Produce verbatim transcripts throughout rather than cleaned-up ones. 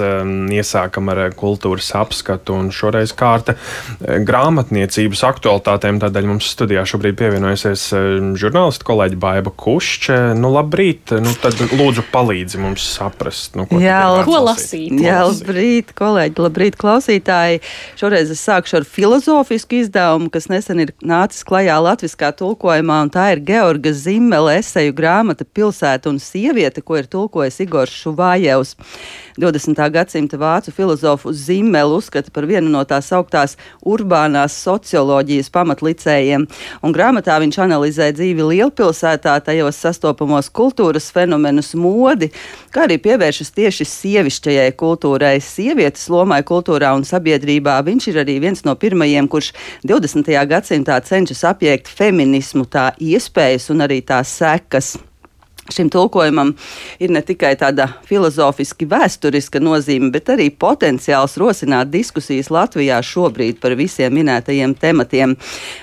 Iesākam ar kultūras apskatu un šoreiz kārta grāmatniecības aktualitātēm. Tādēļ mums studijā šobrīd pievienojusies žurnālista kolēģi Baiba Kušče. Nu, labrīt, nu tad lūdzu palīdzi mums saprast, nu, ko, Jā, lab... ko lasīt. Jā, labrīt, kolēģi, labrīt, klausītāji. Šoreiz es sākšu ar filozofisku izdevumu, kas nesen ir nācis klajā latviskā tulkojumā, un tā ir Georga Zimmela eseju grāmata Pilsēta un sieviete, ko ir tulkojis Igors Šuvājevs. divdesmitā gadsimta vācu filozofu Zimmelu uzskata par vienu no tās augtās urbānās socioloģijas pamatlicējiem, un grāmatā viņš analizē dzīvi lielpilsētā, tajos sastopamos kultūras fenomenus, modi, kā arī pievēršas tieši sievišķajai kultūrai, sievietes lomai kultūrā un sabiedrībā. Viņš ir arī viens no pirmajiem, kurš divdesmitajā gadsimtā cenšas apiekt feminismu, tā iespējas un arī tās sekas. Šim tulkojumam ir ne tikai tāda filozofiski vēsturiska nozīme, bet arī potenciāls rosināt diskusijas Latvijā šobrīd par visiem minētajiem tematiem.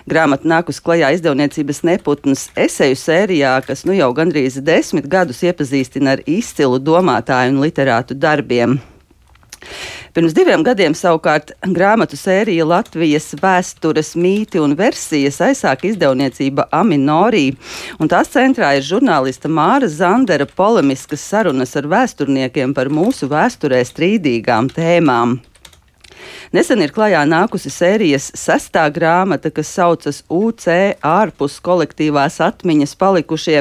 Grāmata nākus klajā izdevniecības Neputnas eseju sērijā, kas nu jau gandrīz desmit gadus iepazīstina ar izcilu domātāju un literātu darbiem. Pirms diviem gadiem savukārt grāmatu sērija Latvijas vēstures mīti un versijas aizsāka izdevniecība Aminorī, un tās centrā ir žurnālista Māra Zandera polemiskas sarunas ar vēsturniekiem par mūsu vēsturē strīdīgām tēmām. Nesen ir klajā nākusi sērijas sestā grāmata, kas saucas U C ārpus kolektīvās atmiņas palikušie,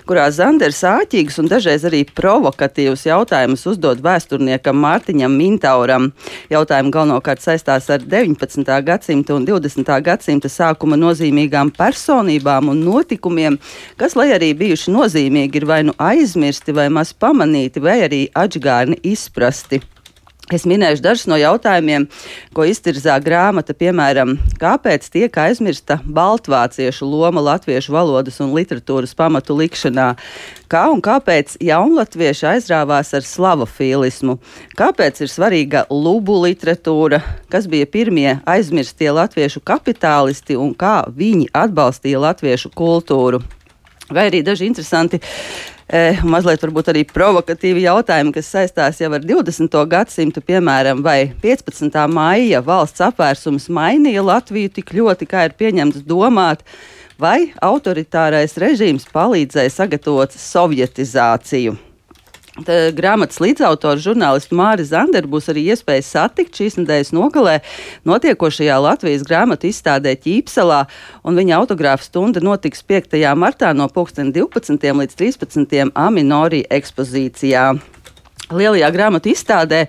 kurā Zanders āķīgus un dažreiz arī provokatīvus jautājumus uzdod vēsturniekam Mārtiņam Mintauram. Jautājumi galvenokārt saistās ar deviņpadsmitā gadsimta un divdesmitā gadsimta sākuma nozīmīgām personībām un notikumiem, kas, lai arī bijuši nozīmīgi, ir vai nu aizmirsti, vai maz pamanīti, vai arī atžgārni izprasti. Es minēšu dažus no jautājumiem, ko iztirzā grāmata, piemēram, kāpēc tiek aizmirsta baltvāciešu loma latviešu valodas un literatūras pamatu likšanā, kā un kāpēc jaunlatvieši aizrāvās ar slavofīlismu, kāpēc ir svarīga lubu literatūra, kas bija pirmie aizmirstie latviešu kapitālisti un kā viņi atbalstīja latviešu kultūru. Vai arī daži interesanti Eh, mazliet varbūt arī provokatīvi jautājumi, kas saistās jau ar divdesmito gadsimtu, piemēram, vai piecpadsmitā maija valsts apvērsums mainīja Latviju tik ļoti, kā ir pieņemts domāt, vai autoritārais režīms palīdzēja sagatavot sovjetizāciju. Tā grāmatas līdzautors žurnālistu Māri Zanderu būs arī iespēja satikt šīs nedēļas nogalē notiekošajā Latvijas grāmatu izstādē Ķīpselā, un viņa autogrāfa stunda notiks piektajā martā no pulksten divpadsmitiem līdz trīspadsmitiem Aminorī ekspozīcijā. Lielajā grāmatu izstādē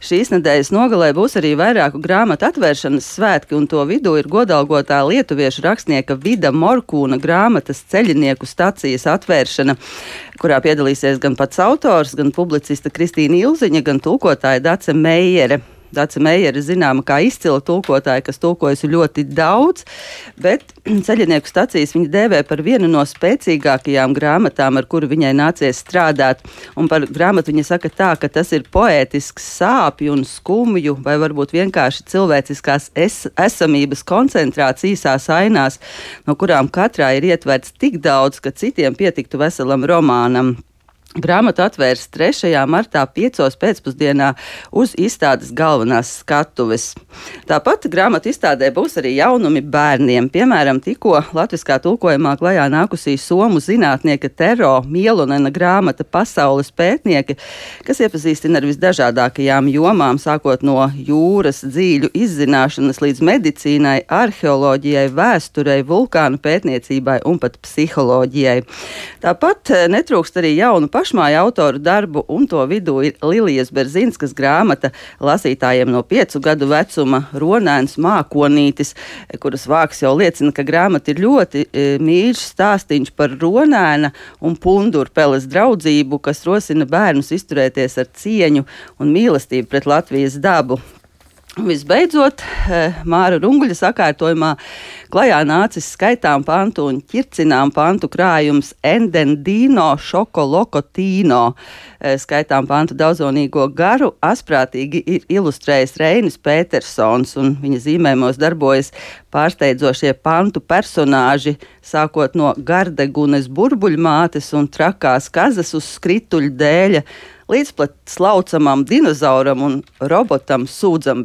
šīs nedēļas nogalē būs arī vairāku grāmatu atvēršanas svētki, un to vidū ir godalgotā lietuviešu rakstnieka Vida Morkūna grāmatas Ceļinieku stacijas atvēršana, kurā piedalīsies gan pats autors, gan publicista Kristīna Ilziņa, gan tulkotāja Dace Meijere. Dace Meijere zināma kā izcila tulkotāja, kas tulkojusi ļoti daudz, bet Ceļinieku stacijas viņa dēvē par vienu no spēcīgākajām grāmatām, ar kuru viņai nācies strādāt. Un par grāmatu viņa saka tā, ka tas ir poētisks sāpju un skumju, vai varbūt vienkārši cilvēciskās es esamības koncentrāts īsās ainās, no kurām katrā ir ietverts tik daudz, ka citiem pietiktu veselam romānam. Grāmatu atvērs trešajā martā piecos pēcpusdienā uz izstādes galvenās skatuves. Tāpat grāmatu izstādē būs arī jaunumi bērniem. Piemēram, tikko latviskā tulkojumā klajā nākusī somu zinātnieka Tero Mielonena grāmata Pasaules pētnieki, kas iepazīstina ar visdažādākajām jomām, sākot no jūras dzīļu izzināšanas līdz medicīnai, arheoloģijai, vēsturei, vulkānu pētniecībai un pat psiholoģijai. Tāpat netrūkst arī jaunu pašmāju autoru darbu, un to vidū ir Lilijas Berzinskas grāmata lasītājiem no piecu gadu vecuma Ronēns mākonītis, kuras vāks jau liecina, ka grāmata ir ļoti e, mīļš stāstīņš par Ronēna un Pundurpeles draudzību, kas rosina bērnus izturēties ar cieņu un mīlestību pret Latvijas dabu. Visbeidzot, Māra Runguļa sakārtojumā klajā nācis skaitām pantu un ķircinām pantu krājums Endendino Šokolokotīno. Skaitām pantu daudzonīgo garu asprātīgi ir ilustrējis Reinis Pētersons, un viņa zīmējumos darbojas pārsteidzošie pantu personāži, sākot no Gardegunes burbuļmātes un trakās kazas uz skrituļu dēļa, līdz pat slaucamam dinozauram un robotam Sūdzam